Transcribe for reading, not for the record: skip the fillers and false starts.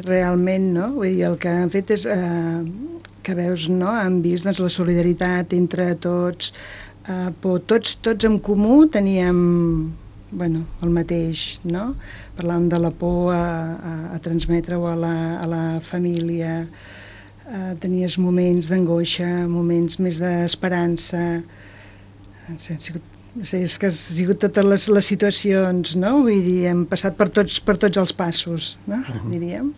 realment, no? Vull dir, el que han fet és que veus, no? Han vist doncs, la solidaritat entre tots, però tots en comú teníem el mateix, no? Parlàvem de la por a transmetre-ho a la família, tenies moments d'angoixa, moments més d'esperança, és que han sigut totes les situacions, no? Vull dir, hem passat per tots els passos, no? Diríem.